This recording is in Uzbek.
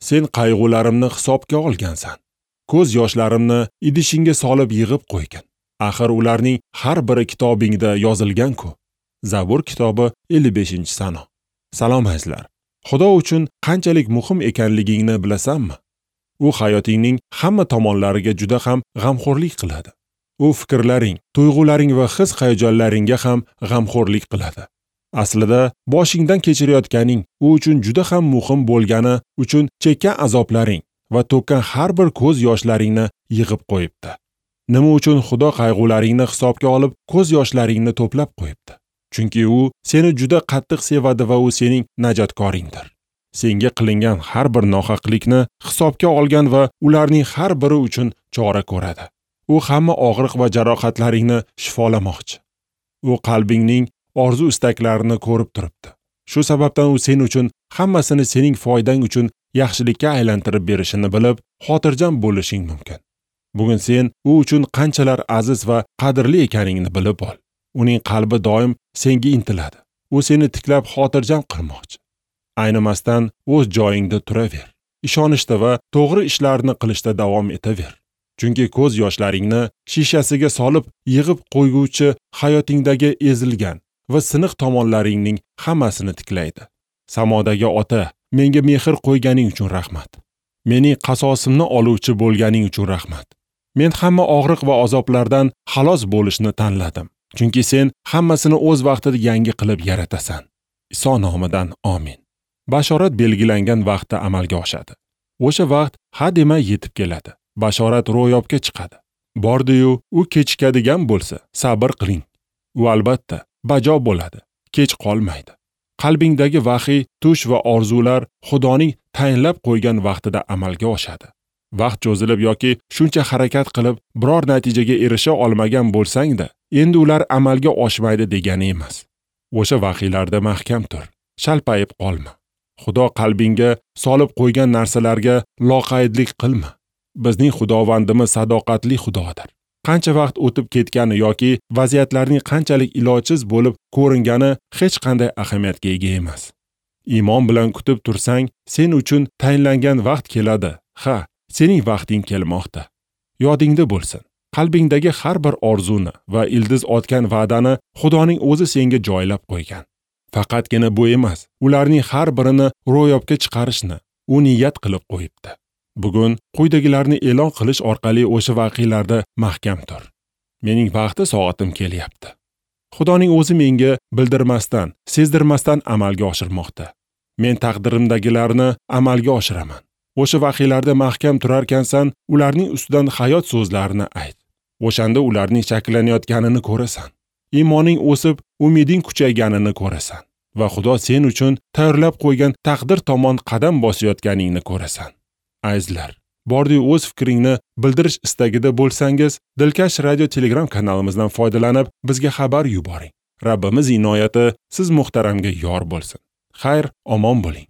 Sen qayg'ularimni hisobga olgansan. Ko'z yoshlarimni idishingga solib yig'ib qo'ygan. Axir ularning har biri kitobingda yozilgan-ku. Zabur kitobi 55-sano. Salom azizlar. Xudo uchun qanchalik muhim ekanligingni bilasanmi? U hayotingning hamma tomonlariga juda ham g'amxo'rlik qiladi. U fikrlaring, tuyg'ularing va his-hayajonlaringga ham g'amxo'rlik qiladi. Aslida boshingdan kechirayotganing u uchun juda ham muhim bo'lgani uchun chekkan azoblaring va to'kkan har bir ko'z yoshlaringni yig'ib qo'yibdi. Nima uchun Xudo qayg'ularingni hisobga olib, ko'z yoshlaringni to'plab qo'yibdi? Chunki u seni juda qattiq sevadi va u sening najotkoringdir. Senga qilingan har bir nohaqlikni hisobga olgan va ularning har biri uchun chora ko'radi. U hamma og'riq va jarohatlaringni shifolamoqchi. U qalbingning orzu istaklarini ko'rib turibdi. Shu sababdan u sen uchun hammasini sening foydang uchun yaxshilikka aylantirib berishini bilib, xotirjam bo'lishing mumkin. Bugun sen u uchun qanchalar aziz va qadrli ekaningni bilib ol. Uning qalbi doim senga intiladi. U seni tiklab xotirjam qilmoqchi. Aynimasdan o'z joyingda turaver. Ishonishda va to'g'ri ishlarni qilishda davom etaver. Chunki ko'z yoshlaringni shishasiga solib yig'ib qo'yguvchi hayotingdagi ezilgan va siniq tomonlaringning hammasini tiklaydi. Samodagi ota, menga mehr qo'yganing uchun rahmat. Mening qasosimni oluvchi bo'lganing uchun rahmat. Men hamma og'riq va azoblardan xalos bo'lishni tanladim. Chunki sen hammasini o'z vaqtida yangi qilib yaratasan. Iso nomidan amin. Bashorat belgilangan vaqtda amalga oshadi. O'sha vaqt ha demay yetib keladi. Bashorat ro'yobga chiqadi. Bordi-yu, u kechikadigan bo'lsa, sabr qiling. U albatta bajo bo'ladi, kech qolmaydi. Qalbingdagi vahiy, tush va orzular Xudoning tayinlab qo'ygan vaqtida amalga oshadi. Vaqt cho'zilib yoki shuncha harakat qilib biror natijaga erisha olmagan bo'lsang-da, endi ular amalga oshmaydi degani emas. O'sha vahiylarda mahkam tur, shalpayib qolma. Xudo qalbingga solib qo'ygan narsalarga loqaydlik qilma. Bizning Xudovandimiz sadoqatli Xudodir. Qancha vaqt o'tib ketgani yoki vaziyatlarning qanchalik ilojsiz bo'lib ko'ringani hech qanday ahamiyatga ega emas. Iymon bilan kutib tursang, sen uchun tayinlangan vaqt keladi. Ha, sening vaqting kelmoqda. Yodingda bo'lsin. Qalbingdagi har bir orzuni va ildiz otgan va'dani Xudoning o'zi senga joylab qo'ygan. Faqatgina bu emas, ularning har birini ro'yobga chiqarishni u niyat qilib qo'yibdi. Bugun quyidagilarni e'lon qilish orqali o'sha vaqiylarda mahkam tur. Mening vaqti soatim kelyapti. Xudoning o'zi menga bildirmasdan, sezdirmasdan amalga oshirmoqda. Men taqdirimdagilarni amalga oshiraman. O'sha vaqiylarda mahkam turarkansan, ularning ustidan hayot so'zlarini ayt. O'shanda ularning shakllanayotganini ko'rasan. Iymoning o'sib, umiding kuchayganini ko'rasan va Xudo sen uchun tayyorlab qo'ygan taqdir tomon qadam bosayotganingni ko'rasan. Azizlar, bordi o'z fikringni bildirish istagida bo'lsangiz, Dilkash radio Telegram kanalimizdan foydalanib bizga xabar yuboring. Rabbimiz inoyati siz muhtaramga yor bo'lsin. Xayr, omon bo'ling.